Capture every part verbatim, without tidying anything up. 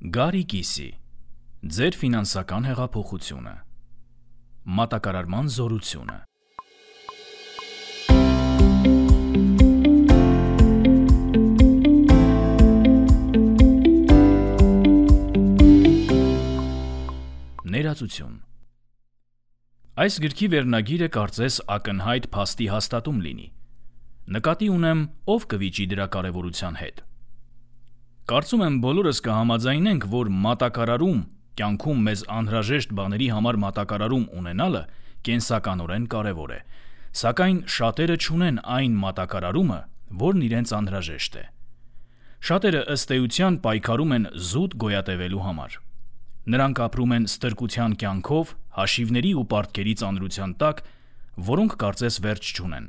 Գարի կիսի, ձեր ֆինանսական հեղափոխությունը, մատակարարման զորությունը։ Ներածություն։ Այս գրքի վերնագիրը կարծես ակնհայտ փաստի հաստատում լինի։ Նկատի ունեմ, ով կվիճի դրա կարևորության հետ։ Կարծում եմ բոլորս կհամաձայնենք, որ մատակարարում, կյանքում մեզ անհրաժեշտ բաների համար մատակարարում ունենալը կենսականորեն կարևոր է, սակայն շատերը չունեն այն մատակարարումը, որն իրենց անհրաժեշտ է։ Շատերը ըստ էության պայքարում են զուտ գոյատևելու համար։ Նրանք ապրում են ստրկության կյանքով, հաշիվների ու պարտքերի ծանրության տակ, որոնք կարծես վերջ չունեն։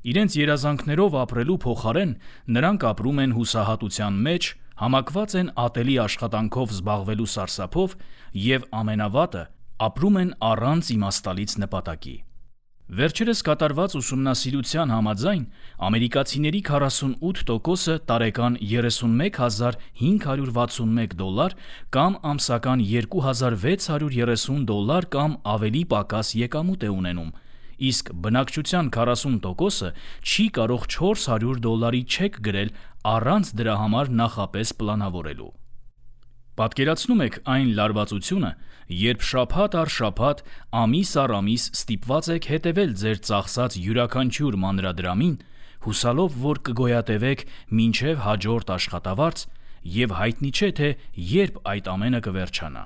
Իրենց երազանքներով ապրելու փոխարեն նրանք ապրում են հուսահատության մեջ, համակված են ատելի աշխատանքով զբաղվելու սարսափով և ամենավատը ապրում են առանց իմաստալից նպատակի։ Վերջերս կատարված ուսումնասիրության համաձայն ամերիկացիների քառասունութ տոկոսը տարեկան երեսունմեկ հազար հինգ հարյուր վաթսունմեկ դոլար կամ ամսական երկու հազար վեց հարյուր երեսուն դոլար կամ ավելի պակաս եկամուտ է ունենում, իսկ բնակչության քառասուն տոկոսը չի կարող չորս հարյուր դոլարի չեք գրել առանց դրա համար նախապես պլանավորելու։ Պատկերացնում եք այն լարվածությունը, երբ շաբաթ առ շաբաթ, ամիս առ ամիս ստիպված եք հետևել ձեր ծախսած յուրաքանչյուր մանրադրամին, հուսալով, որ կգոյատևեք մինչև հաջորդ աշխատավարձ, և հայտնի չէ, թե երբ այդ ամենը կվերջանա։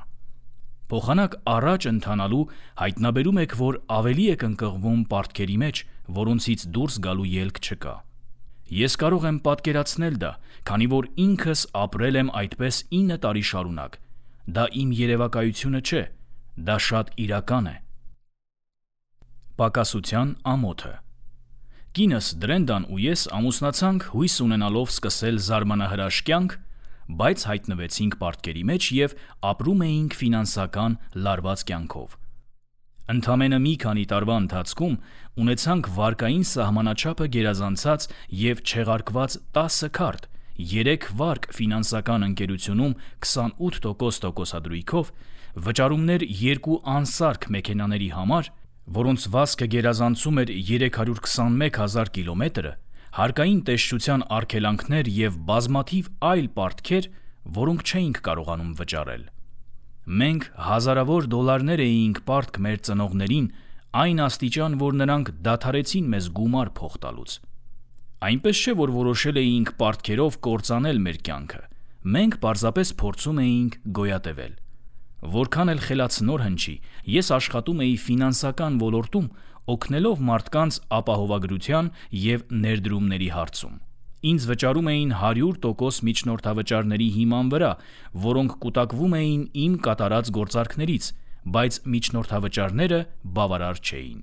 Փոխանակ առաջ ընթանալու հայտնաբերում եք, որ ավելի եք ընկղվում պարտքերի մեջ, որոնցից դուրս գալու ելք չկա։ Ես կարող եմ պատկերացնել դա, քանի որ ինքս ապրել եմ այդպես ինը տարի շարունակ։ Դա իմ երևակայությունը չէ, դա շատ իրական է։ Պակասության ամոթը։ Կինս Դրենդան ու ես ամուսնացանք հույս ունենալով սկսել զարմանահրաշ կյանք, բայց հայտնվեցինք պարտքերի մեջ և ապրում էինք ֆինանսական լարված կյանքով։ Ընդամենը մի քանի տարվա ընթացքում ունեցանք վարկային սահմանաչափը գերազանցած և չեղարկված տասը քարտ, երեք վարկ ֆինանսական ընկերությունում քսանութ տոկոս տոկոսադրույքով, վճարումներ երկու անսարք մեքենաների համար, որոնց վազքը գերազանցում էր երեք հարյուր քսանմեկ հազար կիլոմետրը, հարկային տեսչության արգելանքներ և բազմաթիվ այլ պարտքեր, որոնք չէինք կարողանում վճարել։ Մենք հազարավոր դոլարներ էինք պարտք մեր ծնողներին, այն աստիճան, որ նրանք դադարեցին մեզ գումար փող տալուց։ Այնպես չէ, որ որոշել էինք պարտքերով կործանել մեր կյանքը, մենք պարզապես փորձում էինք գոյատևել։ Որքան էլ խելացնոր հնչի, ես աշխատում էի ֆինանսական ոլորտում, օգնելով մարդկանց ապահովագրության և ներդրումների հարցում։ Ինձ վճարում էին հարյուր տոկոս միջնորդավճարների հիման վրա, որոնք կուտակվում էին իմ կատարած գործարքներից, բայց միջնորդավճարները բավարար չէին։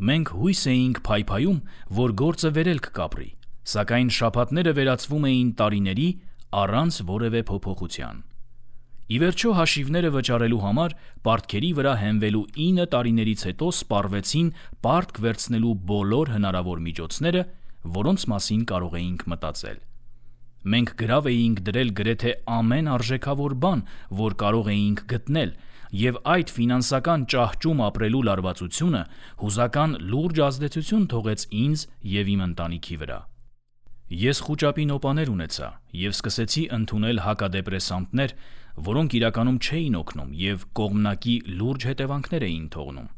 Մենք հույս էինք փայփայում, որ գործը վերելք կապրի, սակայն շաբաթները վերածվում էին տարիների առանց որևէ փոփոխության։ Ի վերջո հաշիվները վճարելու համար պարտքերի վրա հենվելու ինը տարիներից հետո սպառվեցին պարտք վերցնելու բոլոր հնարավոր միջոցները, որոնց մասին կարող էինք մտածել։ Մենք գրավ էինք դրել գրեթե ամեն արժեքավոր բան, որ կարող էինք գտնել, և այդ ֆինանսական ճահճում ապրելու լարվածությունը հուզական լուրջ ազդեցություն թողեց ինձ և իմ ընտանիքի վրա։ Ես խուճապի նոպաներ ունեցա և սկսեցի ընդունել հակադեպրեսանտներ, որոնք իրականում չէին օգնում և կողմնակի լուրջ հետևանքներ էին թողնում։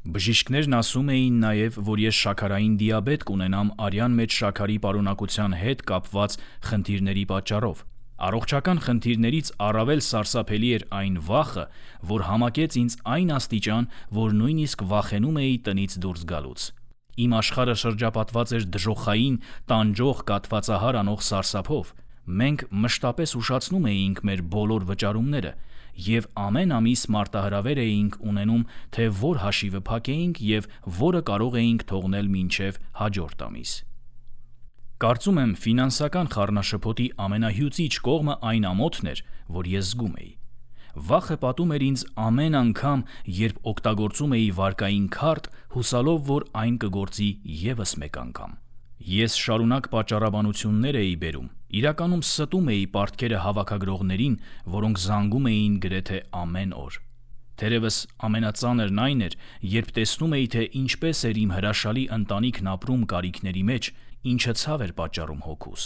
Բժիշկներն ասում էին նաև, որ ես շաքարային դիաբետ կունենամ արյան մեջ շաքարի պարունակության հետ կապված խնդիրների պատճառով։ Առողջական խնդիրներից առավել սարսափելի էր այն վախը, որ համակեց ինձ այն աստիճան, որ նույնիսկ վախենում էի տնից դուրս գալուց։ Իմ աշխարհը շրջապատված էր դժոխային, տանջող, կաթվածահար անող սարսափով։ Մենք մշտապես ուշացնում էինք մեր բոլոր վճարումները և ամեն ամիս մարտահրավեր էինք ունենում, թե որ հաշիվը փակեինք և որը կարող էինք թողնել մինչև հաջորդ ամիս։ Կարծում եմ ֆինանսական խառնաշփոթի ամենահյուծիչ կողմը այն ամոթն էր, որ ես զգում էի։ Վախը պատում էր ինձ ամեն անգամ, երբ օգտագործում էի վարկային քարտ, հուսալով, որ այն կգործի ևս մեկ անգամ։ Ես շարունակ պատճառաբանություններ էի բերում, իրականում ստում էի պարտքերը հավաքագրողներին, որոնք զանգում էին գրեթե ամեն օր։ Թերևս ամենածանրն այն էր, երբ տեսնում էի, թե ինչպես էր իմ հրաշալի ընտանիքն ապրում կարիքների մեջ, ինչը ցավ էր պատճառում հոգուս։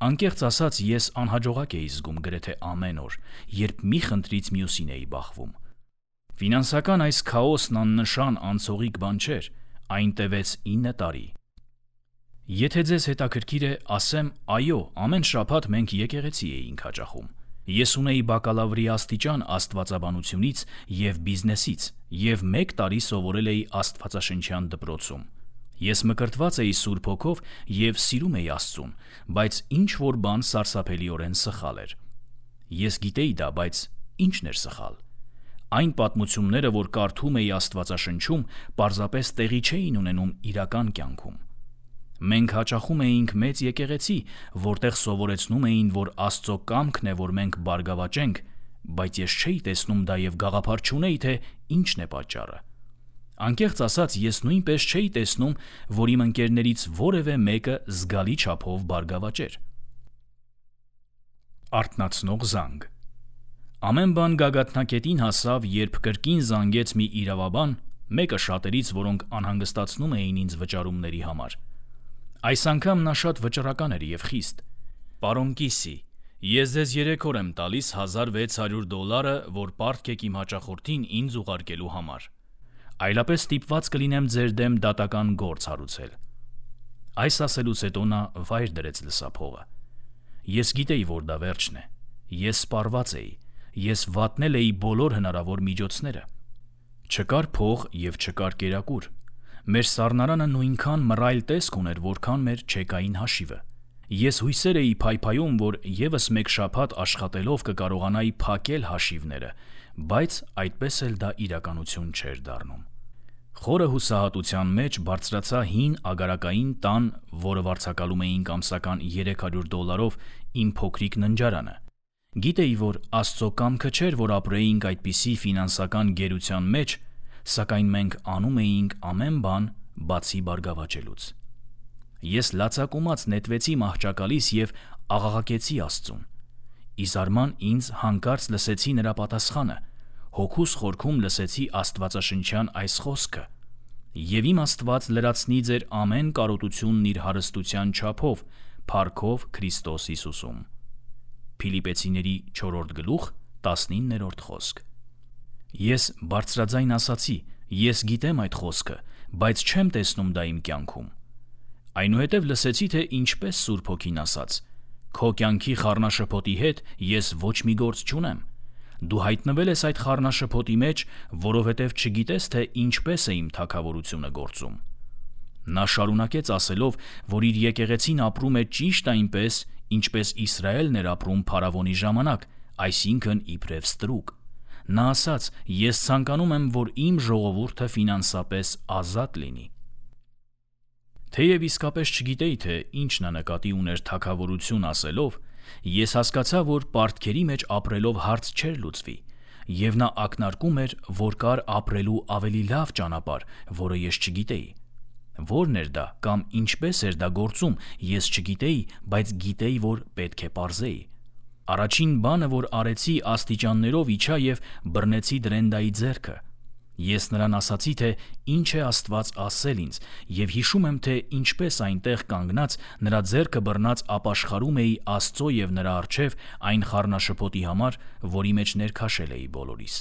Անկեղծ ասած, ես անհաջողակ էի զգում գրեթե ամեն օր, երբ մի խնդրից մյուսին էի բախվում։ Ֆինանսական այս քաոսն աննշան անցողիկ բան չէր, այն տևեց ինը տարի։ Եթե ձեզ հետաքրքիր է, ասեմ, այո, ամեն շաբաթ մենք եկեղեցի էինք հաճախում։ Ես ունեի բակալավրի աստիճան աստվածաբանությունից և բիզնեսից և մեկ տարի սովորել էի աստվածաշնչյան դպրոցում։ Ես մկրտված էի Սուրբ Հոգով և սիրում էի Աստծուն, բայց ինչ-որ բան սարսափելիորեն սխալ էր։ Ես գիտեի դա, բայց ի՞նչն էր սխալ։ Այն պատմությունները, որ կարդում էի Աստվածաշնչում, պարզապես տեղի չէին ունենում իրական կյանքում։ Մենք հաճախում էինք մեծ եկեղեցի, որտեղ սովորեցնում էին, որ Աստծո կամքն է, որ մենք բարգավաճենք, բայց ես չէի տեսնում դա և գաղափար չունեի, թե ինչն է պատճառը։ Անկեղծ ասած, ես նույնպես չէի տեսնում, որ իմ ընկերներից որևէ մեկը զգալի չափով բարգավաճեր։ Արթնացնող զանգ։ Ամեն բան գագաթնակետին հասավ, երբ կրկին զանգեց մի իրավաբան, մեկը շատերից, որոնք անհանգստացնում էին ինձ վճարումների համար։ Այս անգամ նա շատ վճռական էր և խիստ։ Պարոն Կիսի, ես ձեզ երեք օր եմ տալիս հազար վեց հարյուր դոլարը, որ պարտք եք իմ հաճախորդին ինձ ուղարկելու համար։ Այլապես ստիպված կլինեմ ձեր դեմ դատական գործ հարուցել։ Այս ասելուց հետո նա վայր դրեց լսափողը։ Ես գիտեի, որ դա վերջն է։ Ես սպառված էի։ Ես վատնել էի բոլոր հնարավոր միջոցները։ Չկար փող և չկար կերակուր։ Մեր սառնարանը նույնքան մռայլ տեսք ուներ, որքան մեր չեկային հաշիվը։ Ես հույսեր էի փայփայում, որ ևս մեկ շաբաթ աշխատելով կկարողանայի փակել հաշիվները, բայց այդպես էլ դա իրականություն չէր դառնում։ Խորը հուսահատության մեջ բարձրացա հին ագարակային տան, որը վարձակալում էինք ամսական երեք հարյուր դոլարով, իմ փոքրիկ ննջարանը։ Գիտեի, որ Աստծո կամքը չէր, որ ապրեինք այդպիսի ֆինանսական գերության մեջ, սակայն մենք անում էինք ամեն բան, բացի բարգավաճելուց։ Ես լացակումած նետվեցի մահճակալիս և աղաղակեցի Աստծուն։ Ի զարման ինձ հանկարծ լսեցի նրա պատասխանը, հոգուս խորքում լսեցի աստվածաշնչյան այս խոսքը. «Եվ իմ Աստված լրացնի ձեր ամեն կարոտությունն իր հարստության չափով, փառքով Քրիստոս Հիսուսում»։ Փիլիպպեցիների չորրորդ գլուխ տասնիններորդ խոսք։ Ես բարձրաձայն ասացի. «Ես գիտեմ այդ խոսքը, բայց չեմ տեսնում դա իմ կյանքում»։ Այնուհետև լսեցի, թե ինչպես Սուրբ Հոգին ասաց. «Քո կյանքի խառնաշփոթի հետ ես ոչ մի գործ չունեմ։ Դու հայտնվել ես այդ խառնաշփոթի մեջ, որովհետև չգիտես, թե ինչպես է իմ թագավորությունը գործում»։ Նա շարունակեց ասելով, որ իր եկեղեցին ապրում է ճիշտ այնպես, ինչպես Իսրայելն էր ապրում փարավոնի ժամանակ, այսինքն իբրև ստրուկ։ Նա ասաց. «Ես ցանկանում եմ, որ իմ ժողովուրդը ֆինանսապես ազատ լինի»։ Թեև իսկապես չգիտեի, թե ինչ նա նկատի ուներ թագավորություն ասելով, ես հասկացա, որ պարտքերի մեջ ապրելով հարց չէր լուծվի, և նա ակնարկում էր, որ կար ապրելու ավելի լավ ճանապարհ, որը ես չգիտեի։ Որն էր դա կամ ինչպես էր դա գործում, ես չգիտեի, բայց գիտեի, որ պետք է պարզեի։ Առաջին բանը, որ արեցի, աստիճաններով իջա և բռնեցի Դրենդայի ձեռքը։ Ես նրան ասացի, թե ինչ է Աստված ասել ինձ, և հիշում եմ, թե ինչպես այնտեղ կանգնած նրա ձեռքը բռնած ապաշխարում էի Աստծո և նրա առջև այն խառնաշփոթի համար, որի մեջ ներքաշել էի բոլորիս։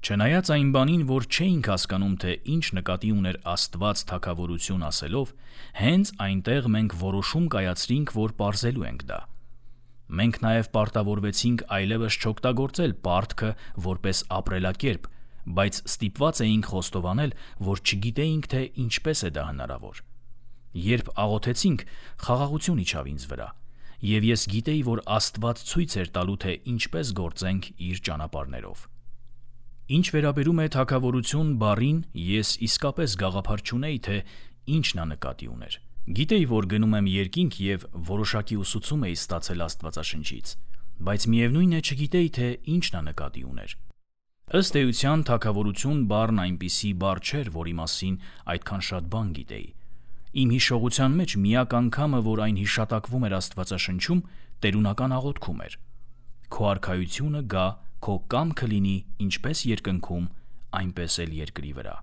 Չնայած այն բանին, որ չէինք հասկանում, թե ինչ նկատի ուներ Աստված թագավորություն ասելով, հենց այնտեղ մենք որոշում կայացրինք, որ պարզելու ենք դա։ Մենք նաև պարտավորվեցինք այլևս չօգտագործել պարտքը որպես ապրելակերպ, բայց ստիպված էինք խոստովանել, որ չգիտեինք, թե ինչպես է դա հնարավոր։ Երբ աղոթեցինք, խաղաղություն իջավ ինձ վրա, և ես գիտեի, որ Աստված ցույց էր տալու, թե ինչպես գործենք իր ճանապարհներով։ Ինչ վերաբերում է թագավորություն բառին, ես իսկապես գաղափար չունեի, թե ինչ նա նկատի ուներ։ Գիտեի, որ գնում եմ երկինք և որոշակի ուսուցում էի ստացել Աստվածաշնչից, բայց միևնույն է չգիտեի, թե ինչ նա նկատի ուներ։ Ըստ էության թագավորություն բառն այնպիսի բառ չէր, որի մասին այդքան շատ բան գիտեի։ Իմ հիշողության մեջ միակ անգամը, որ այն հիշատակվում էր Աստվածաշնչում, տերունական աղոթքում էր. «Քո արքայությունը գա, քո կամքը լինի ինչպես երկնքում, այնպես էլ երկրի վրա»։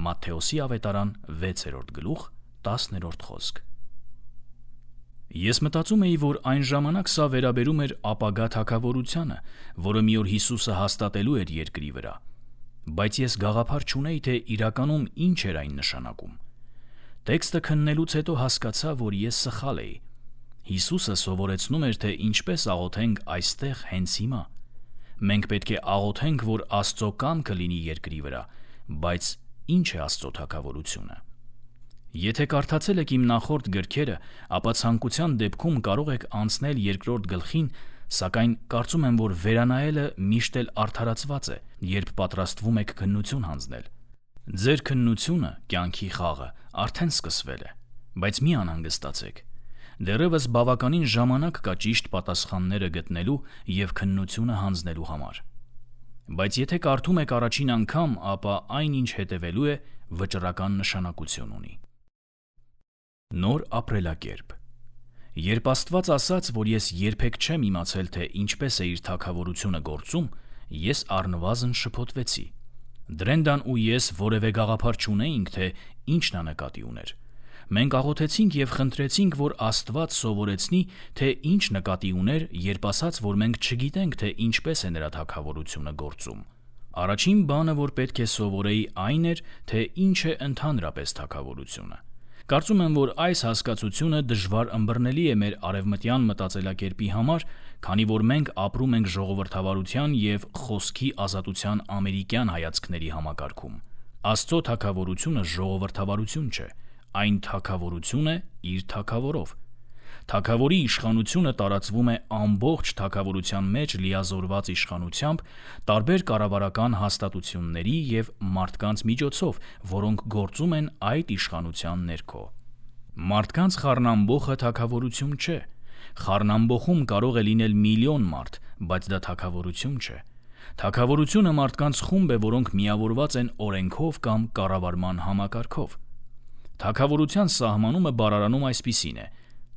Մատթեոսի ավետարան վեցերորդ գլուխ տասներորդ խոսք։ Ես մտածում էի, որ այն ժամանակ սա վերաբերում էր ապագա թագավորությանը, որը մի օր Հիսուսը հաստատելու էր երկրի վրա, բայց ես գաղափար չունեի, թե իրականում ինչ էր այն նշանակում։ Տեքստը քննելուց հետո հասկացա, որ ես սխալ էի։ Հիսուսը սովորեցնում էր, թե ինչպես աղոթենք այստեղ հենց հիմա։ Մենք պետք է աղոթենք, որ Աստծո կամքը լինի երկրի վրա, բայց ինչ է Աստծո թագավորությունը։ Եթե կարդացել եք իմ նախորդ գրքերը, ապա ցանկության դեպքում կարող եք անցնել երկրորդ գլխին, սակայն կարծում եմ, որ վերանայելը միշտ էլ արդարացված է, երբ պատրաստվում եք քննություն հանձնել։ Ձեր քննությունը, կյանքի խաղը, արդեն սկսվել է, բայց մի անհանգստացեք։ Դեռևս բավականին ժամանակ կա ճիշտ պատասխանները գտնելու և քննությունը հանձնելու համար։ Բայց եթե կարդում եք առաջին անգամ, ապա այն, ինչ հետևելու է, վճռական նշանակություն ունի։ Նոր ապրելակերպ։ Երբ Աստված ասաց, որ ես երբեք չեմ իմացել, թե ինչպես է իր թագավորությունը գործում, ես առնվազն շփոթվեցի։ Դրենդան ու ես որևէ գաղափար չունեինք, թե ինչն է նկատի ուներ։ Մենք աղոթեցինք և խնդրեցինք, որ Աստված սովորեցնի, թե ինչ նկատի ուներ, երբ ասաց, որ մենք չգիտենք, թե ինչպես է նրա թագավորությունը գործում։ Առաջին բանը, որ պետք է սովորեի, այն էր, թե ինչ է ընդհանրապես թագավորությունը։ Կարծում եմ, որ այս հասկացությունը դժվար ըմբռնելի է մեր արևմտյան մտածելակերպի համար, քանի որ մենք ապրում ենք ժողովրդավարության և խոսքի ազատության ամերիկյան հայացքների համակարգում։ Աստծո թագավորությունը ժողովրդավարություն չէ, այն թագավորություն է իր թագավորով։ Թագավորի իշխանությունը տարածվում է ամբողջ թագավորության մեջ լիազորված իշխանությամբ, տարբեր կառավարական հաստատությունների և մարդկանց միջոցով, որոնք գործում են այդ իշխանության ներքո։ Մարդկանց խառնամբոխը թագավորություն չէ։ Խառնամբոխում կարող է լինել միլիոն մարդ, բայց դա թագավորություն չէ։ Թագավորությունը մարդկանց խումբ է, որոնք միավորված են օրենքով կամ կառավարման համակարգով։ Թագավորության սահմանումը բառարանում այսպիսին է.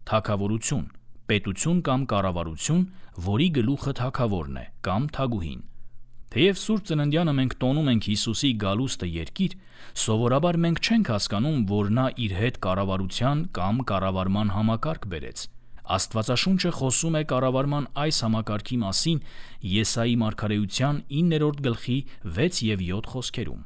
թագավորություն, պետություն կամ կառավարություն, որի գլուխը թագավորն է կամ թագուհին։ Թեև Սուրբ Ծննդյանը մենք տոնում ենք Հիսուսի գալուստը երկիր, սովորաբար մենք չենք հասկանում, որ նա իր հետ կառավարության կամ կառավարման համակարգ բերեց։ Աստվածաշունչը խոսում է կառավարման այս համակարգի մասին Եսայի մարգարեության իններորդ գլխի վեց և յոթ խոսքերում։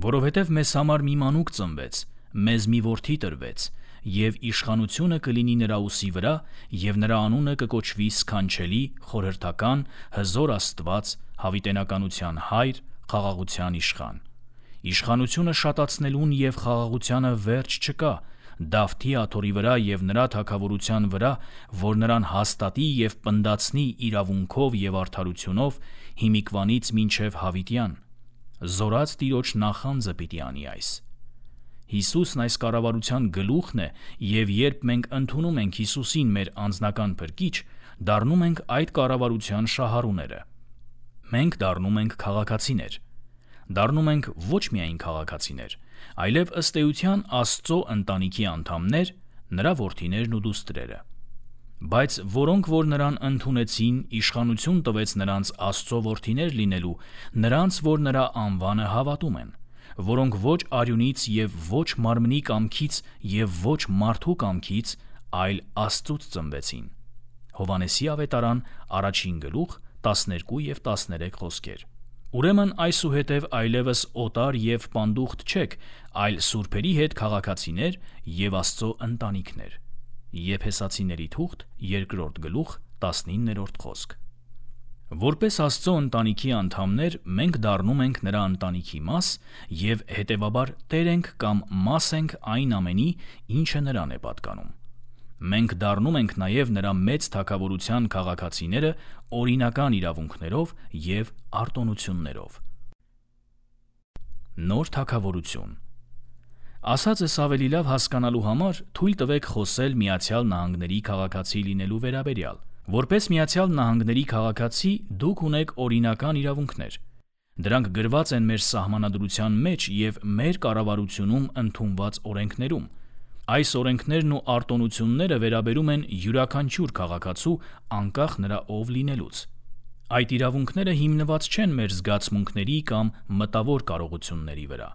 Որովհետև մեզ համար մի մանուկ ծնվեց, մեզ մի որդի տրվեց, և իշխանությունը կլինի նրա ուսի վրա, և նրա անունը կկոչվի Սքանչելի, Խորհրդական, Հզոր Աստված, Հավիտենականության Հայր, Խաղաղության Իշխան։ Իշխանությունը շատացնելուն և խաղաղությանը վերջ չկա, Դավթի աթոռի վրա և նրա թագավորության վրա, որ նրան հաստատի և պնդացնի իրավունքով և արդարությունով հիմիկվանից մինչև հավիտյան։ Զորած Տիրոջ նախանձը պիտի անի այս։ Հիսուսն այս կառավարության գլուխն է, և երբ մենք ընդունում ենք Հիսուսին մեր անձնական փրկիչ, դառնում ենք այդ կառավարության շահառուները։ Մենք դառնում ենք քաղաքացիներ։ Դառնում ենք ոչ միայն քաղաքացիներ, այլև ըստ էության Աստծո ընտանիքի անդամներ, նրա որդիներն ու դուստրերը։ Բայց որոնք որ նրան ընդունեցին, իշխանություն տվեց նրանց Աստծո որդիներ լինելու, նրանց, որ նրա անվանը հավատում են, որոնք ոչ արյունից և ոչ մարմնի կամքից և ոչ մարդու կամքից, այլ Աստծուց ծնվեցին։ Հովհաննեսի ավետարան, առաջին գլուխ, տասներկու և տասներեք խոսքեր։ Ուրեմն այսուհետև այլևս օտար և պանդուխտ չեք, այլ սուրբերի հետ քաղաքացիներ և Աստծո ընտանիքներ։ Եփեսացիների թուղթ, երկրորդ գլուխ, տասնիններորդ խոսք։ Որպես Աստծո ընտանիքի անդամներ մենք դառնում ենք նրա ընտանիքի մաս և հետևաբար տեր ենք կամ մաս ենք այն ամենի, ինչը նրան է պատկանում։ Մենք դառնում ենք նաև նրա մեծ թագավորության քաղաքացիները օրինական իրավունքներով և արտոնություններով։ Նոր թագավորություն։ Ասածս ավելի լավ հասկանալու համար թույլ տվեք խոսել Միացյալ Նահանգների քաղաքացի լինելու վերաբերյալ։ Որպես Միացյալ Նահանգների քաղաքացի դուք ունեք օրինական իրավունքներ։ Դրանք գրված են մեր սահմանադրության մեջ և մեր կառավարությունում ընդունված օրենքներում։ Այս օրենքներն ու արտոնությունները վերաբերում են յուրաքանչյուր քաղաքացու անկախ նրա ով լինելուց։ Այդ իրավունքները հիմնված չեն մեր զգացմունքների կամ մտավոր կարողությունների վրա։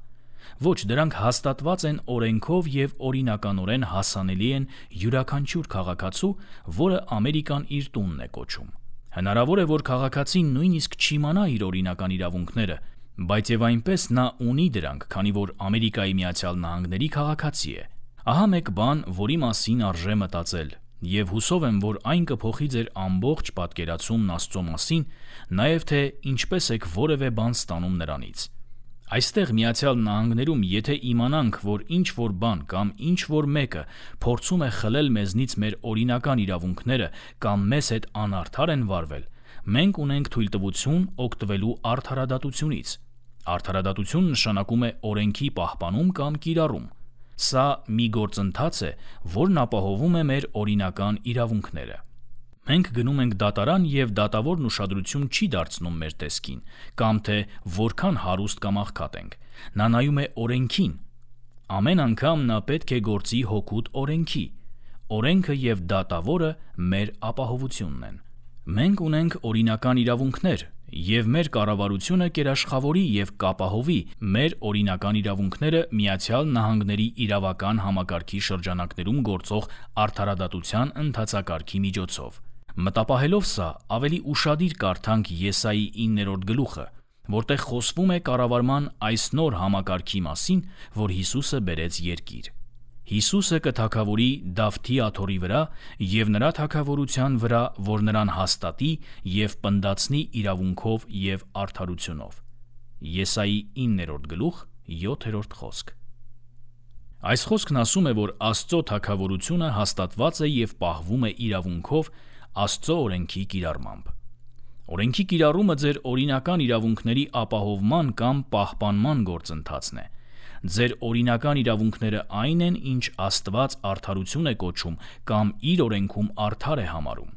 Ոչ, դրանք հաստատված են օրենքով և օրինականորեն հասանելի են յուրաքանչյուր քաղաքացու, որը Ամերիկան իր տունն է կոչում։ Հնարավոր է, որ քաղաքացին նույնիսկ չիմանա իր օրինական իրավունքները, բայց և այնպես նա ունի դրանք, քանի որ Ամերիկայի Միացյալ Նահանգների քաղաքացի է։ Ահա մեկ բան, որի մասին արժե մտածել, և հուսով եմ, որ այն կփոխի ձեր ամբողջ պատկերացումն Աստծո մասին, նաև թե ինչպես եք որևէ բան ստանում նրանից։ Այստեղ Միացյալ Նահանգներում, եթե իմանանք, որ ինչ-որ բան կամ ինչ-որ մեկը փորձում է խլել մեզնից մեր օրինական իրավունքները կամ մեզ հետ անարդար են վարվել, մենք ունենք թույլտվություն օգտվելու արդարադատությունից։ Արդարադատություն նշանակում է օրենքի պահպանում կամ կիրառում։ Սա մի գործընթաց է, որն ապահովում է մեր օրինական իրավունքները։ Մենք գնում ենք դատարան և դատավորն ուշադրություն չի դարձնում մեր տեսքին, կամ թե որքան հարուստ կամ աղքատ ենք։ Նա նայում է օրենքին։ Ամեն անգամ նա պետք է գործի հօգուտ օրենքի։ Օրենքը և դատավորը մեր ապահովությունն են։ Մենք ունենք օրինական իրավունքներ, և մեր կառավարությունը կերաշխավորի և կապահովի մեր օրինական իրավունքները Միացյալ Նահանգների իրավական համակարգի շրջանակներում գործող արդարադատության ընթացակարգի միջոցով։ Մտապահելով սա, ավելի ուշադիր կարդանք Եսայի իններորդ գլուխը, որտեղ խոսվում է կառավարման այս նոր համակարգի մասին, որ Հիսուսը բերեց երկիր։ Հիսուսը կթագավորի Դավթի աթոռի վրա և նրա թագավորության վրա, որ նրան հաստատի և պնդացնի իրավունքով և արդարությունով։ Եսայի իններորդ գլուխ յոթերորդ խոսք։ Այս խոսքն ասում է, որ Աստծո թագավորությունը հաստատված է և պահվում է իրավունքով Աստծո օրենքի կիրառմամբ։ Օրենքի կիրառումը ձեր օրինական իրավունքների ապահովման կամ պահպանման գործընթացն է։ Ձեր օրինական իրավունքները այն են, ինչ Աստված արդարություն է կոչում կամ իր օրենքում արդար է համարում։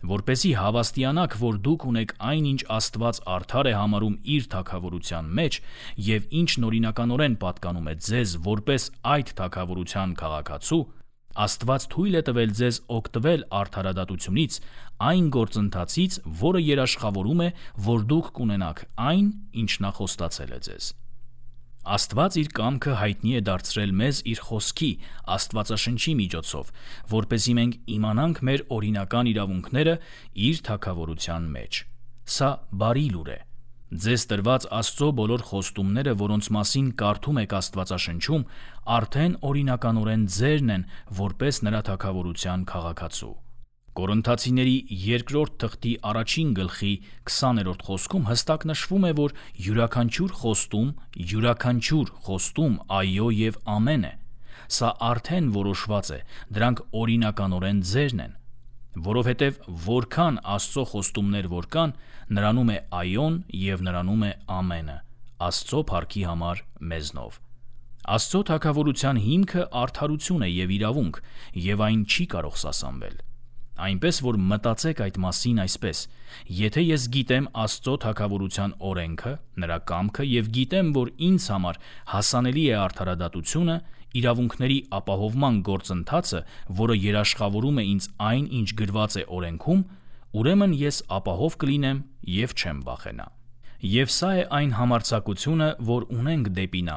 Որպեսզի հավաստիանաք, որ դուք ունեք այն, ինչ Աստված արդար է համարում իր թագավորության մեջ և ինչն օրինականորեն պատկանում է ձեզ որպես այդ թագավորության քաղաքացու, Աստված թույլ է տվել ձեզ օգտվել արդարադատությունից, այն գործընթացից, որը երաշխավորում է, որ դուք կունենաք այն, ինչ նա խոստացել է ձեզ։ Աստված իր կամքը հայտնի է դարձրել մեզ իր խոսքի, Աստվածաշնչի միջոցով, որպեսզի մենք իմանանք մեր օրինական իրավունքները իր թագավորության մեջ։ Սա բարի լուր է։ Ձեզ տրված Աստծո բոլոր խոստումները, որոնց մասին կարդում եք Աստվածաշնչում, արդեն օրինականորեն ձերն են, որպես նրա թագավորության քաղաքացու։ Կորինթացիների երկրորդ թղթի առաջին գլխի քսաներորդ խոսքում հստակ նշվում է, որ յուրաքանչյուր խոստում, յուրաքանչյուր խոստում այո և ամեն է։ Սա արդեն որոշված է, դրանք օրինականորեն ձերն են։ Որովհետև որքան Աստծո խոստումներ որ կան, նրանում է այոն և նրանում է ամենը, Աստծո փառքի համար մեզնով։ Աստծո թագավորության հիմքը արդարություն է և իրավունք, և այն չի կարող սասանվել։ Այնպես որ մտածեք այդ մասին այսպես. եթե ես գիտեմ Աստծո թագավորության օրենքը, նրա կամքը և գիտեմ, որ ինձ համար հասանելի է արդարադատությունը, իրավունքների ապահովման գործընթացը, որը երաշխավորում է ինձ այն, ինչ գրված է օրենքում, ուրեմն ես ապահով կլինեմ և չեմ վախենա։ Եվ սա է այն համարձակությունը, որ ունենք դեպի նա,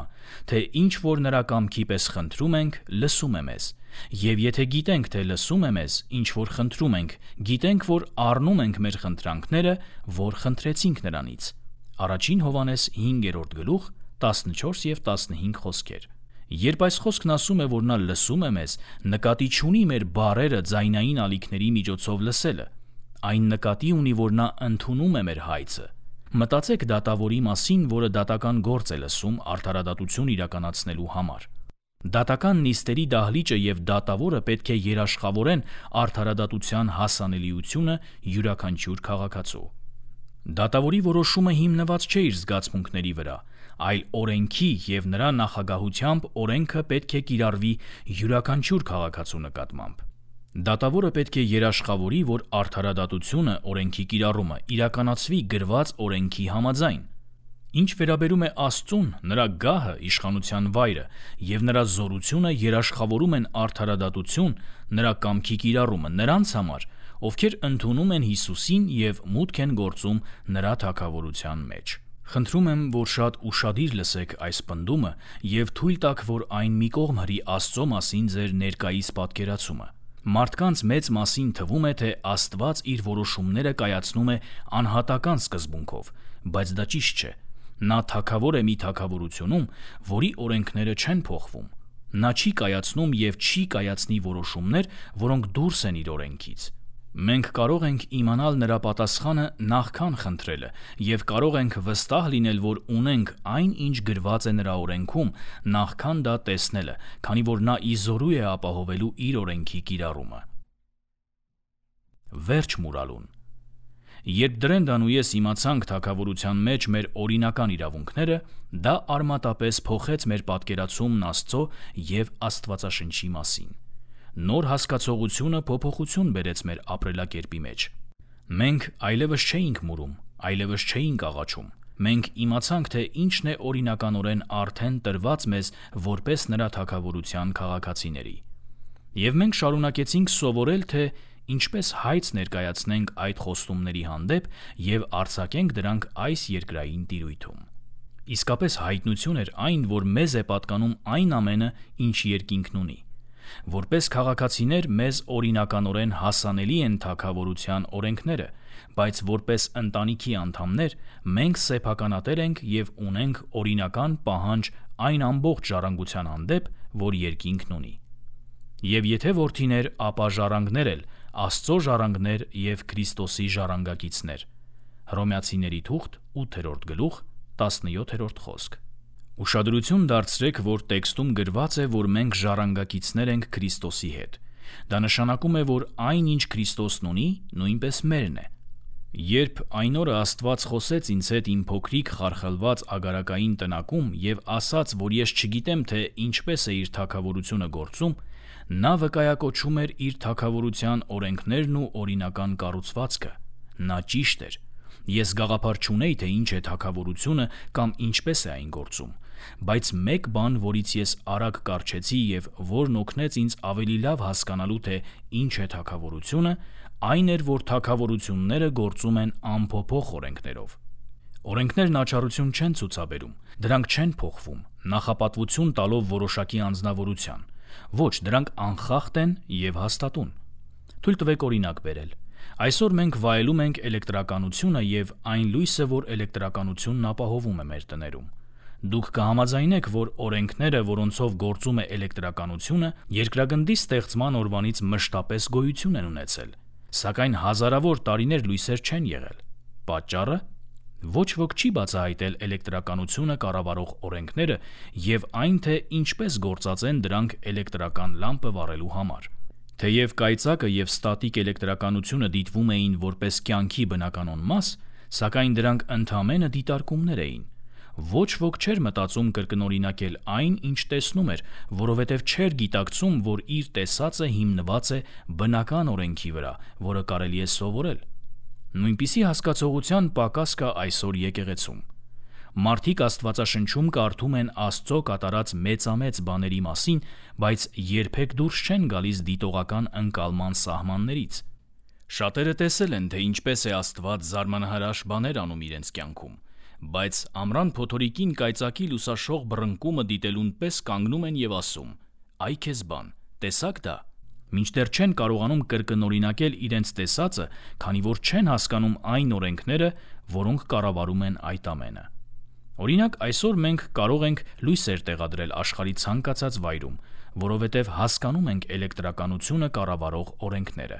թե ինչ որ նրա կամքի պես խնդրում ենք, լսում է մեզ։ Եվ եթե գիտենք, թե լսում է մեզ, ինչ որ խնդրում ենք, գիտենք, որ առնում ենք մեր խնդրանքները, որ խնդրեցինք նրանից։ Առաջին Հովհաննես հինգերորդ գլուխ տասնչորս և տասնհինգ խոսքեր։ Երբ այս խոսքն ասում է, որ նա լսում է մեզ, նկատի չունի մեր բառերը ձայնային ալիքների միջոցով լսելը։ Այն նկատի ունի, որ նա ընդունում է մեր հայցը։ Մտածեք դատավորի մասին, որը դատական գործ է լսում արդարադատություն իրականացնելու համար։ Դատական նիստերի դահլիճը և դատավորը պետք է երաշխավորեն արդարադատության հասանելիությունը յուրաքանչյուր քաղաքացու։ Դատավորի որոշումը հիմնված չէ իր զգացմունքների վրա, այլ օրենքի և նրա նախագահությամբ օրենքը պետք է կիրառվի յուրաքանչյուր քաղաքացու նկատմամբ։ Դատավորը պետք է երաշխավորի, որ արդարադատությունը, օրենքի կիրառումը իրականացվի գրված օրենքի համաձայն։ Ինչ վերաբերում է Աստծուն, նրա գահը, իշխանության վայրը և նրա զորությունը երաշխավորում են արդարադատություն, նրա կամքի կիրառումը նրանց համար, ովքեր ընդունում են Հիսուսին և մուտք են գործում նրա թագավորության մեջ։ Խնդրում եմ, որ շատ ուշադիր լսեք այս պնդումը և թույլ տաք, որ այն մի կողմ հրի Աստծո մասին ձեր ներկայիս պատկերացումը։ Մարդկանց մեծ մասին թվում է, թե Աստված իր որոշումները կայացնում է անհատական սկզբունքով, բայց դա ճիշտ չէ։ Նա թագավոր է մի թագավորությունում, որի օրենքները չեն փոխվում։ Նա չի կայացնում և չի կայացնի որոշումներ, որոնք դուրս են իր օրենքից։ Մենք կարող ենք իմանալ նրա պատասխանը նախքան խնդրելը և կարող ենք վստահ լինել, որ ունենք այն, ինչ գրված է նրա օրենքում, նախքան դա տեսնելը, քանի որ նա ի զորու է ապահովելու իր օրենքի կիրառումը։ Վերջ մուրալուն։ Երբ Դրենդան ու ես իմացանք թագավորության մեջ մեր օրինական իրավունքները, դա արմատապես փոխեց մեր պատկերացումն Աստծո և Աստվածաշնչի մասին։ Նոր հասկացողությունը փոփոխություն բերեց մեր ապրելակերպի մեջ։ Մենք այլևս չէինք մուրում, այլևս չէինք աղաչում։ Մենք իմացանք, թե ինչն է օրինականորեն արդեն տրված մեզ որպես նրա թագավորության քաղաքացիների։ Եվ մենք շարունակեցինք սովորել, թե ինչպես հայց ներկայացնենք այդ խոստումների հանդեպ և արձակենք դրանք այս երկրային տիրույթում։ Իսկապես հայտնություն էր այն, որ մեզ է պատկանում այն ամենը, ինչ երկինքն ունի։ Որպես քաղաքացիներ մեզ օրինականորեն հասանելի են թագավորության օրենքները, բայց որպես ընտանիքի անդամներ մենք սեփականատեր ենք և ունենք օրինական պահանջ այն ամբողջ ժառանգության հանդեպ, որ երկինքն ունի։ Եվ եթե որդիներ, ապա ժառանգներ էլ, Աստծո ժառանգներ և Քրիստոսի ժառանգակիցներ։ Հռոմեացիների թուղթ ութերորդ գլուխ տասնյոթերորդ խոսք։ Ուշադրություն դարձրեք, որ տեքստում գրված է, որ մենք ժառանգակիցներ ենք Քրիստոսի հետ։ Դա նշանակում է, որ այն, ինչ Քրիստոսն ունի, նույնպես մերն է։ Երբ այն օրը Աստված խոսեց ինձ հետ իմ փոքրիկ խարխլված ագարակային տնակում և ասաց, որ ես չգիտեմ, թե ինչպես է իր թագավորությունը գործում, նա վկայակոչում էր իր թագավորության օրենքներն ու օրինական կառուցվածքը։ Նա ճիշտ էր։ Ես գաղափար չունեի, թե ինչ է թագավորությունը կամ ինչպես է այն գործում, բայց մեկ բան, որից ես արագ կառչեցի և որն օգնեց ինձ ավելի լավ հասկանալու, թե ինչ է թագավորությունը, այն էր, որ թագավորությունները գործում են անփոփոխ օրենքներով։ Օրենքներն աչառություն չեն ցուցաբերում, դրանք չեն փոխվում, նախապատվություն տալով որոշակի անձնավորության։ Ոչ, դրանք անխախտ են և հաստատուն։ Թույլ տվեք օրինակ բերել։ Այսօր մենք վայելում ենք էլեկտրականությունը և այն լույսը, որ էլեկտրականությունն ապահովում է մեր տներում։ Դուք կհամաձայնեք, որ օրենքները, որոնցով գործում է էլեկտրականությունը, երկրագնդի ստեղծման օրվանից մշտապես գոյություն են ունեցել, սակայն հազարավոր տարիներ լույսեր չեն եղել։ Պատճառը։ Ոչ ոք չի բացահայտել էլեկտրականությունը կառավարող օրենքները և այն, թե ինչպես գործածեն դրանք էլեկտրական լամպը վառելու համար։ Թեև կայծակը և ստատիկ էլեկտրականությունը դիտվում էին որպես կյանքի բնականոն մաս, սակայն դրանք ընդամենը դիտարկումներ էին։ Ոչ ոք չէր մտածում կրկնօրինակել այն, ինչ տեսնում էր, որովհետև չէր գիտակցում, որ իր տեսածը հիմնված է բնական օրենքի վրա, որը կարելի է սովորել։ Նույնպիսի հասկացողության պակաս կա այսօր եկեղեցում։ Մարդիկ Աստվածաշնչում կարդում են Աստծո կատարած մեծամեծ բաների մասին, բայց երբեք դուրս չեն գալիս դիտողական ընկալման սահմաններից։ Շատերը տեսել են, թե ինչպես է Աստված զարմանահրաշ բաներ անում իրենց կյանքում, բայց ամռան փոթորիկին կայծակի լուսաշող բռնկումը դիտելուն պես կանգնում են և ասում. «Այ քեզ բան, տեսա՞ք դա», մինչդեռ չեն կարողանում կրկնօրինակել իրենց տեսածը, քանի որ չեն հասկանում այն օրենքները, որոնք կառավարում են այդ ամենը։ Օրինակ, այսօր մենք կարող ենք լույսեր տեղադրել աշխարհի ցանկացած վայրում, որովհետև հասկանում ենք էլեկտրականությունը կառավարող օրենքները։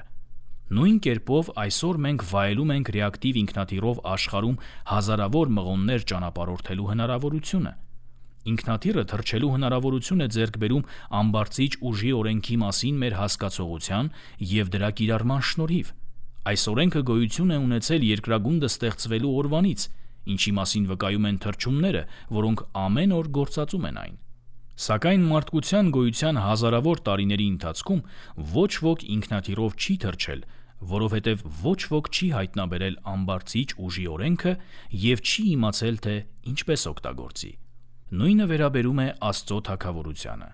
Նույն կերպով այսօր մենք վայելում ենք ռեակտիվ ինքնաթիռով աշխարհում հազարավոր մղոններ ճանապարհորդելու հնարավորությունը։ Ինքնաթիռը թռչելու հնարավորություն է ձեռք բերում ամբարձիչ ուժի օրենքի մասին մեր հասկացողության և դրա կիրառման շնորհիվ։ Այս օրենքը գոյություն է ունեցել երկրագունդը ստեղծվելու օրվանից, ինչի մասին վկայում են թռչունները, որոնք ամեն օր գործածում են այն։ Սակայն մարդկության գոյության հազարավոր տարիների ընթացքում ոչ ոք ինքնաթիռով չի թռչել, որովհետև ոչ ոք չի հայտնաբերել ամբարձիչ ուժի օրենքը և չի իմացել, թե ինչպես օգտագործի։ Նույնը վերաբերում է Աստծո թագավորությանը։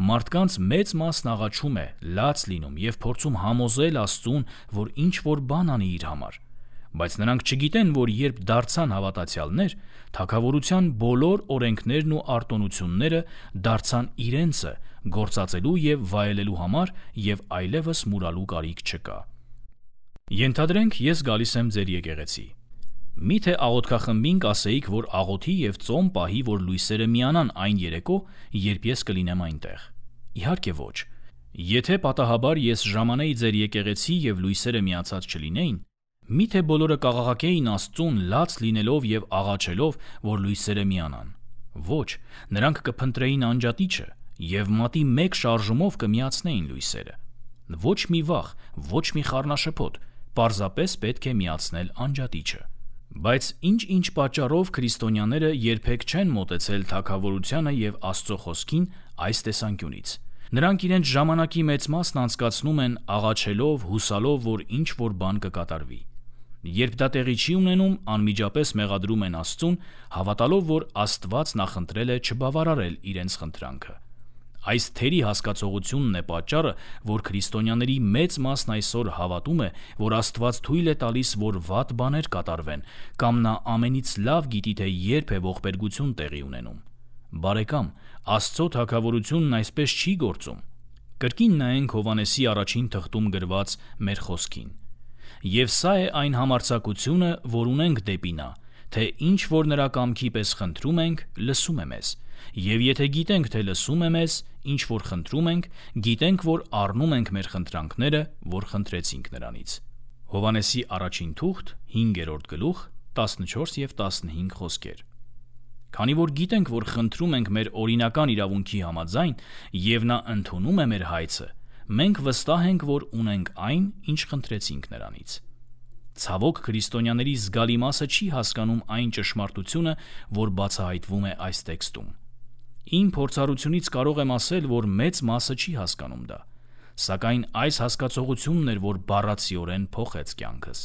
Մարդկանց մեծ մասն աղաչում է, լաց լինում և փորձում համոզել Աստծուն, որ ինչ-որ բան անի իր համար, բայց նրանք չգիտեն, որ երբ դարձան հավատացյալներ, թագավորության բոլոր օրենքներն ու արտոնությունները դարձան իրենցը գործածելու և վայելելու համար և այլևս մուրալու կարիք չկա։ Ենթադրենք, ես գալիս եմ ձեր եկեղեցի։ Միթե աղոթքախմբին կասեիք, որ աղոթի և ծոմ պահի, որ լույսերը միանան այն երեկո, երբ ես կլինեմ այնտեղ։ Իհարկե ոչ։ Եթե պատահաբար ես ժամանեի ձեր եկեղեցի և լույսերը միացած չլինեին, միթե բոլորը կաղաղակեին Աստծուն լաց լինելով և աղաչելով, որ լույսերը միանան։ Ոչ, նրանք կփնտրեին անջատիչը և մատի մեկ շարժումով կմիացնեին լույսերը։ Ոչ մի վախ, ոչ մի խառնաշփոթ, պարզապես պետք է միացնել անջատիչը։ Բայց ինչ-ինչ պատճառով քրիստոնյաները երբեք չեն մոտեցել թագավորությանը և Աստծո խոսքին այս տեսանկյունից։ Նրանք իրենց ժամանակի մեծ մասն անցկացնում են աղաչելով, հուսալով, որ ինչ-որ բան կկատարվի։ Երբ դա տեղի չի ունենում, անմիջապես մեղադրում են Աստծուն, հավատալով, որ Աստված նախընտրել է չբավարարել իրենց խնդրանքը։ Այս թերի հասկացողությունն է պատճառը, որ քրիստոնյաների մեծ մասն այսօր հավատում է, որ Աստված թույլ է տալիս, որ վատ բաներ կատարվեն, կամ նա ամենից լավ գիտի, թե երբ է ողբերգություն տեղի ունենում։ Բարեկամ, Աստծո թագավորությունն այսպես չի գործում։ Կրկին նայենք Հովհաննեսի առաջին թղթում գրված մեր խոսքին։ Եվ սա է այն համարձակությունը, որ ունենք դեպի նա, թե ինչ որ նրա կամքի պես խնդրում ենք, լսում է մեզ։ Եվ եթե գիտենք, թե լսում է մեզ, ինչ որ խնդրում ենք, գիտենք, որ առնում ենք մեր խնդրանքները, որ խնդրեցինք նրանից։ Հովհաննեսի առաջին թուղթ, հինգերորդ գլուխ, տասնչորս և տասնհինգ խոսքեր։ Քանի որ գիտենք, որ խնդրում ենք մեր օրինական իրավունքի համաձայն, և նա ընդունում է մեր հայցը, մենք վստահ ենք, որ ունենք այն, ինչ խնդրեցինք նրանից։ Ցավոք, քրիստոնյաների զգալի մասը չի հասկանում այն ճշմարտությունը, որ բացահայտվում է այս տեքստում։ Իմ փորձառությունից կարող եմ ասել, որ մեծ մասը չի հասկանում դա, սակայն այս հասկացողությունն էր, որ բառացիորեն փոխեց կյանքս։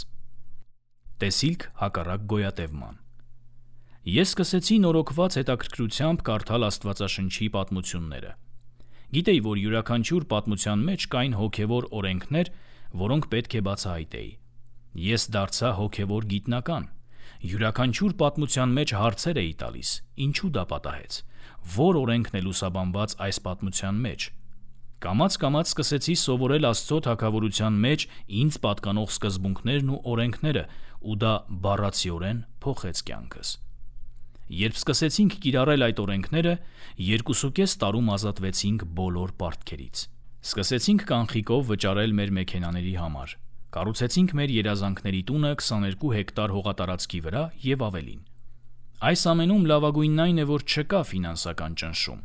Տեսիլք հակառակ գոյատևման։ Ես սկսեցի նորոգված հետաքրքրությամբ կարդալ Աստվածաշնչի պատմությունները։ Գիտեի, որ յուրաքանչյուր պատմության մեջ կային հոգևոր օրենքներ, որոնք պետք է բացահայտեի։ Ես դարձա հոգևոր գիտնական։ Յուրաքանչյուր պատմության մեջ հարցեր էի տալիս. ինչու դա պատահեց, որ օրենքն է լուսաբանված այս պատմության մեջ։ Կամաց-կամաց սկսեցի սովորել Աստծո թագավորության մեջ ինձ պատկանող սկզբունքներն ու օրենքները, ու դա բառացիորեն փոխեց կյանքս։ Երբ սկսեցինք կիրառել այդ օրենքները, երկուսուկես տարում ազատվեցինք բոլոր պարտքերից։ Սկսեցինք կանխիկով վճարել մեր մեքենաների համար։ Կառուցեցինք մեր երազանքների տունը քսաներկու հեկտար հողատարածքի վրա և ավելին։ Այս ամենում լավագույնն այն է, որ չկա ֆինանսական ճնշում։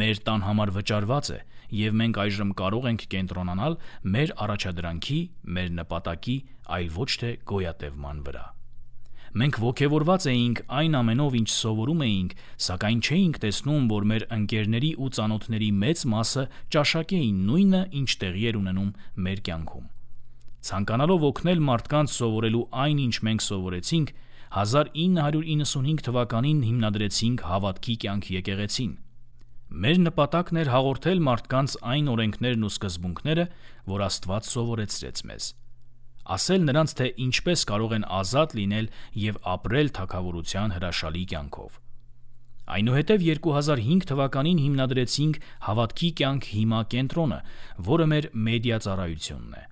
Մեր տան համար վճարված է, և մենք այժմ կարող ենք կենտրոնանալ մեր առաջադրանքի, մեր նպատակի, այլ ոչ թե գոյատևման վրա։ Մենք ոգևորված էինք այն ամենով, ինչ սովորում էինք, սակայն չէինք տեսնում, որ մեր ընկերների ու ծանոթների մեծ մասը ճաշակեին նույնը, ինչ տեղի էր ունենում մեր կյանքում։ Ցանկանալով օգնել մարդկանց սովորելու այն, ինչ մենք սովորեցինք, հազար ինը հարյուր իննսունհինգ թվականին հիմնադրեցինք Հավատքի կյանք եկեղեցին։ Մեր նպատակն էր հաղորդել մարդկանց այն օրենքներն ու սկզբունքները, որ Աստված սովորեցրեց մեզ։ Ասել նրանց, թե ինչպես կարող են ազատ լինել և ապրել թագավորության հրաշալի կյանքով։ Այնուհետև երկու հազար հինգ թվականին հիմնադրեցինք Հավատքի կյանք հիմա կենտրոնը, որը մեր մեդիա ծառայությունն է։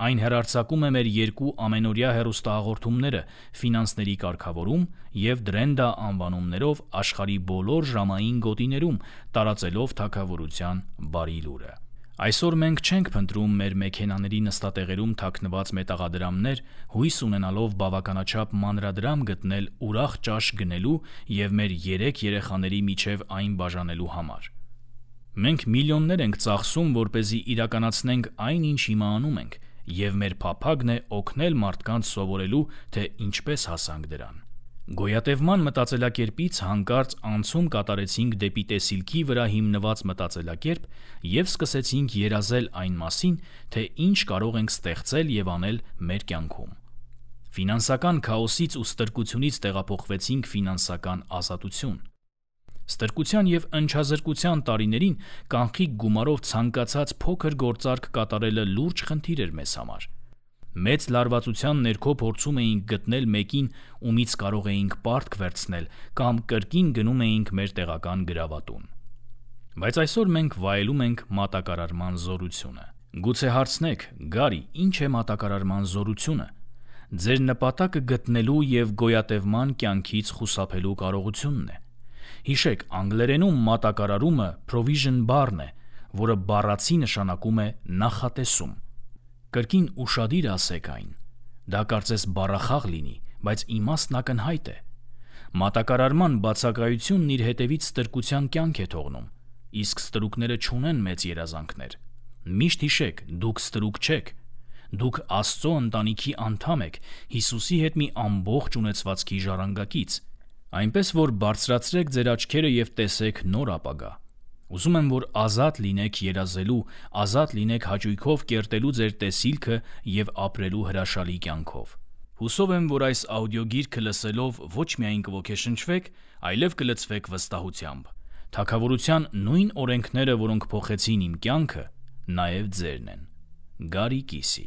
Այն հեռարձակում է մեր երկու ամենօրյա հեռուստահաղորդումները «Ֆինանսների կարգավորում» և «Դրենդա» անվանումներով աշխարհի բոլոր ժամային գոտիներում, տարածելով թագավորության բարի լուրը։ Այսօր մենք չենք փնտրում մեր մեքենաների նստատեղերում թաքնված մետաղադրամներ, հույս ունենալով բավականաչափ մանրադրամ գտնել ուրախ ճաշ գնելու և մեր երեք երեխաների միջև այն բաժանելու համար։ Մենք միլիոններ ենք ծախսում, որպեսզի իրականացնենք այն, ինչ հիմա անում ենք, և մեր փափագն է օգնել մարդկանց սովորելու, թե ինչպես հասանք դրան։ Գոյատևման մտածելակերպից հանկարծ անցում կատարեցինք դեպի տեսիլքի վրա հիմնված մտածելակերպ և սկսեցինք երազել այն մասին, թե ինչ կարող ենք ստեղծել և անել մեր կյանքում։ Ֆինանսական քաոսից ու ստրկությունից տեղափոխվեցինք ֆինանսական ազատություն։ Ստրկության և ընչազրկության տարիներին կանխիկ գումարով ցանկացած փոքր գործարք կատարելը լուրջ խնդիր էր մեզ համար։ Մեծ լարվածության ներքո փորձում էինք գտնել մեկին, ումից կարող էինք պարտք վերցնել կամ կրկին գնում էինք մեր տեղական գրավատուն։ Բայց այսօր մենք վայելում ենք մատակարարման զորությունը։ Գուցե հարցնեք՝ Գարի, ի՞նչ է մատակարարման զորությունը։ Ձեր նպատակը գտնելու և գոյատևման կյանքից խուսափելու կարողությունն է։ Հիշեք, անգլերենում մատակարարումը provision բառն է, որը բառացի նշանակում է նախատեսում։ Կրկին ուշադիր ասեք այն։ Դա կարծես բառախաղ լինի, բայց իմաստն ակնհայտ է։ Մատակարարման բացակայությունն իր հետևից ստրկության կյանք է թողնում, իսկ ստրուկները չունեն մեծ երազանքներ։ Միշտ հիշեք, դուք ստրուկ չեք։ Դուք Աստծո ընտանիքի անդամ եք, Հիսուսի հետ մի ամբողջ ունեցվածքի ժառանգակից։ Այնպես որ բարձրացրեք ձեր աչքերը և տեսեք նոր ապագա։ Ուզում եմ, որ ազատ լինեք երազելու, ազատ լինեք հաճույքով կերտելու ձեր տեսիլքը և ապրելու հրաշալի կյանքով։ Հուսով եմ, որ այս աուդիոգիրքը լսելով ոչ միայն կոգեշնչվեք, այլև կլցվեք վստահությամբ։ Թագավորության նույն օրենքները, որոնք փոխեցին իմ կյանքը, նաև ձերն են։ Գարի Կիսի։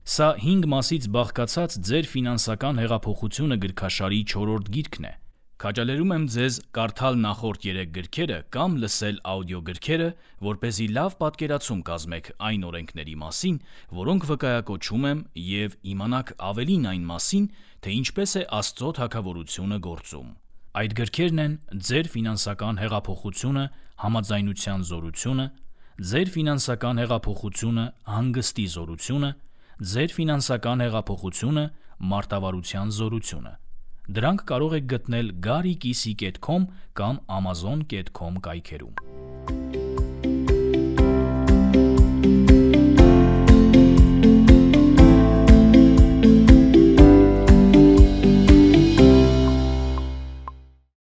Սա հինգ մասից բաղկացած «Ձեր ֆինանսական հեղափոխությունը» գրքաշարի չորրորդ գիրքն է։ Քաջալերում եմ ձեզ կարդալ նախորդ երեք գրքերը կամ լսել աուդիոգրքերը, որպեսզի լավ պատկերացում կազմեք այն օրենքների մասին, որոնք վկայակոչում եմ, և իմանաք ավելին այն մասին, թե ինչպես է Աստծո թագավորությունը գործում։ Այդ գրքերն են «Ձեր ֆինանսական հեղափոխությունը. համաձայնության զորությունը», «Ձեր ֆինանսական հեղափոխությունը. հանգստի զորությունը», «Ձեր ֆինանսական հեղափոխությունը. մարտավարության զորությունը»։ Դրանք կարող եք գտնել գարի կիսի կետ քոմ կամ ամազոն կետ քոմ կայքերում։